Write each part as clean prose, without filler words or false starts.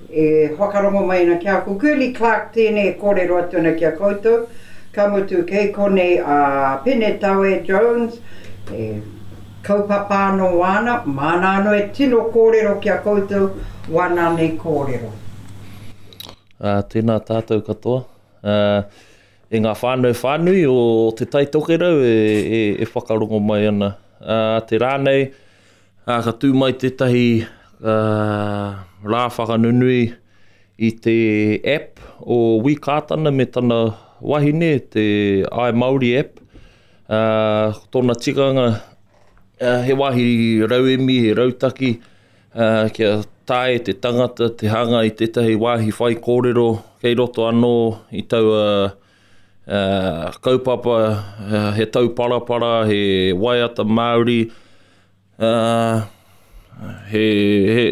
E whakarongo mai ana ki a ko Girlie Clarke tēnei e kōrero atu ana ki a koutou. Ka mutu kei konei a Pene Tawe Jones, e kaupapa anō āna, māna anō e tino kōrero ki a koutou wāna nei kōrero. Ā, tēnā tātou katoa. Ā, e ngā whānau whānui o Te Tai Tokerau e, e, e whakarongo mai ana. Ā, te rā nei, ā, ka tū mai tētahi ā, rā whakanunui i te app o Wi Kātana me tana wahine, te I Māori app. Ā, ko tōna tikanga, ā, he wāhi rauemi, he rautaki, ā, kia taea e te tangata te hanga i tētahi wāhi whaikōrero kei roto anō i taua ā, kaupapa, he tauparapara, he waiata Māori, ā, he, he,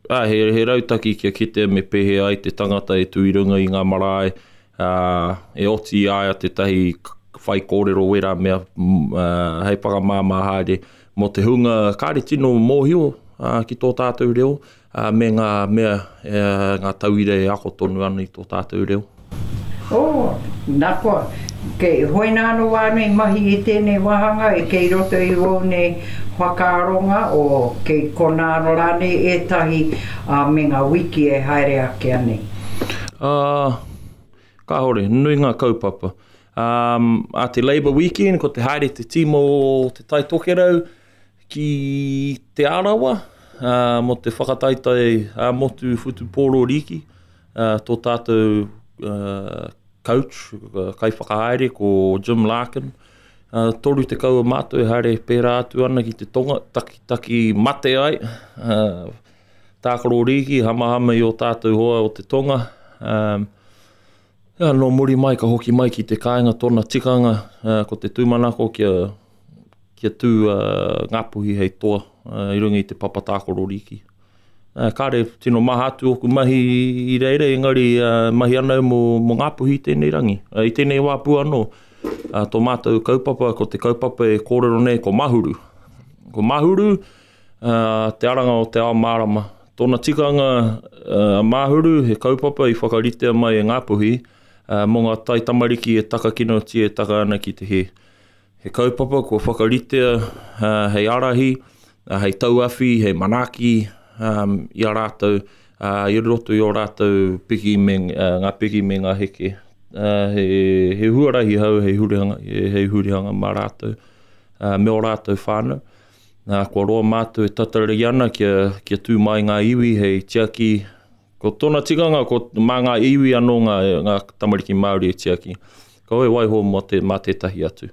ā, he, he rautaki kia kitea me pēhea ai te tangata e tū i runga i ngā marae, ā, e oti i a ia tētahi whaikōrero wērā mea ā, hei whakamāmā haere mō te hunga kāre tino mōhio ā, ki tō tātou reo, ā, me ngā mea, ngā tauira e ako tonu ana i tō tātou reo. Oh, nā koa, kei hoina anō wānei mahi i tēnei wāhanga e kei roto i wōu nei whakaaronga o kei konā anō rānei ētahi ā, me ngā wiki e haere ake anei? Ā, kāore, nui ngā kaupapa. Ā, ā te Labour Weekend, ko te haere te tīma o Te Tai Tokerau ki Te Arawa, ā, mō te whakataetae ā-motu whutupōro rīki. Ā, tō tātou ā, coach, kaiwhakahaere ko Jim Larkin, ā, 30 o mātou e haere pērā atu ana ki te tonga, takitaki mate ai, ā, tākaro rīki, hamahama i ō tātou hoa o te tonga. Ā, ā, nō muri mai ka hoki mai ki te kāinga tōna tikanga, ā, ko te tūmanako kia, kia tū a Ngāpuhi hei toa ā, i runga i te papa tākaro rīki. Ā, kāre tino maha atu ōku mahi i reira, engari ā, mahi ana au mō, mō Ngāpuhi i tēnei rangi. Ā, i tēnei wā pū anō, ā, tō mātou kaupapa, ko te kaupapa e kōrero nei ko Mahuru. Ko Mahuru, ā, te aranga o te ao mārama. Tōna tikanga, ā, Mahuru, he kaupapa i whakaritea mai e Ngāpuhi, ā, mō ngā taitamariki e takakinotia e taka ana ki te hē. He kaupapa kua whakaritea hei ārahi, hei tauawhi, hei manaaki i a rātou, i roto i ō rātou piki me, ngā piki me ngā heke. He, he huarahi hou hei hurihanga, hei hurihanga mā rātou, me ō rātou whānau. Nā, kua roa mātou e tatari ana kia, kia tū mai ngā iwi hei tiaki Ko tōna tikanga, ko mā ngā iwi anō ngā, ngā tamariki Māori e tiaki. Kaua e waiho mō te, mā tētahi atu.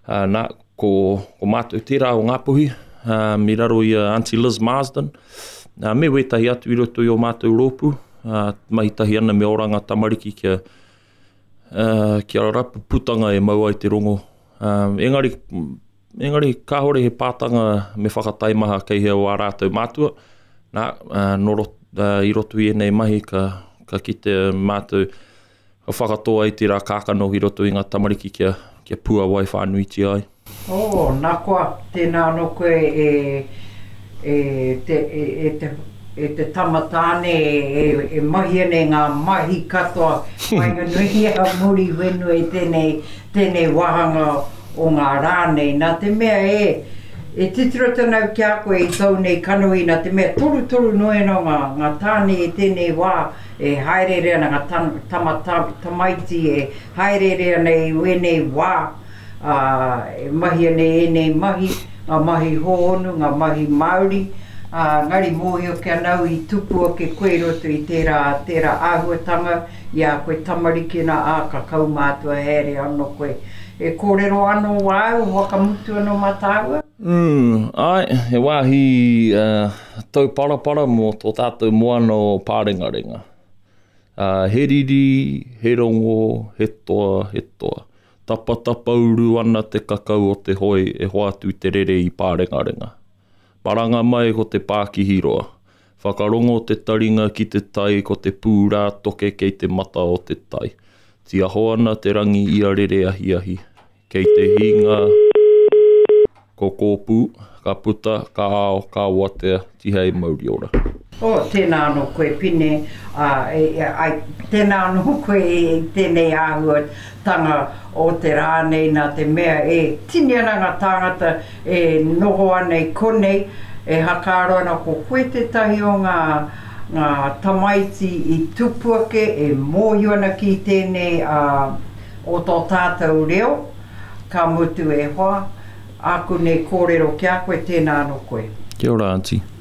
Ā, nā, ko, ko mātou tērā o Ngāpuhi, ā, i raro i a Aunty Liz Marsden, ā, me wētahi atu i roto i ō mātou rōpū, ā, mahi tahi ana me Oranga Tamariki kia, ā, kia rapu putanga e mau ai te rongo. Ā, engari, Engari, kāore he pātanga me whakataimaha kei hea o ā rātou mātua. Nā, nō roto, i roto i ēnei mahi ka, ka kite mātou, ka whakatō ai tērā kākano ki roto i ngā tamariki kia, kia puawai whānuitia ai. Oh, nā koa, tēnā anō koe e, e te, e, e te, e te tama tāne e, e mahia nei ngā mahi katoa waenganui i a Muriwhenua i tēnei, tēnei wāhanga o ngā rā nei, nā te mea e, e titiro atu ana au ki a koe i tōu nei kanohi, nā te mea torutoru noa anō ngā, ngā tāne i tēnei wā e hāereere ana, ngā tama, tama, tamaiti e hāereere ana i wēnei wā, ā, e mahia nei ēnei mahi, ngā mahi hōhonu, ngā mahi Māori, ā, engari mōhio ki ana au i tupu ake koe i roto i tērā, tērā āhuatanga i a koe tamariki ana, ā, ka kaumātua haere anō koe. E kōrero anō āu whakamutu anō mā tāua? Mm, āe, he wāhi uh, tauparapara mō tō tātou moana o Pārengarenga. Uh, he riri, he rongo, he toa, he toa. Tapatapauru ana te kakau o te hoe e hoatu te rere i Pārengarenga. Maranga mai ko te pākihi roa. Whakarongo te taringa ki te tai ko te pūrā toke kei te mata o te tai. Tiaho ana te rangi i a rere ahiahi. Kei te hinga ko Kōpū, ka puta, ka ao, ka watea, tihei mauri ora. Oh, tēnā anō koe Pine, ā, e, e, ai, tēnā anō koe i tēnei āhuatanga o te rā nei nā te mea e tini ana ngā tāngata e noho ana i konei, e hakaaro ana ko koe tētahi o ngā, ngā tamaiti i tupu ake e mōhio ana ki tēnei, ā, o tō tātou reo, ka mutu e hoa, āku nei kōrero ki a koe, tēnā anō koe. Kia ora, Aunty.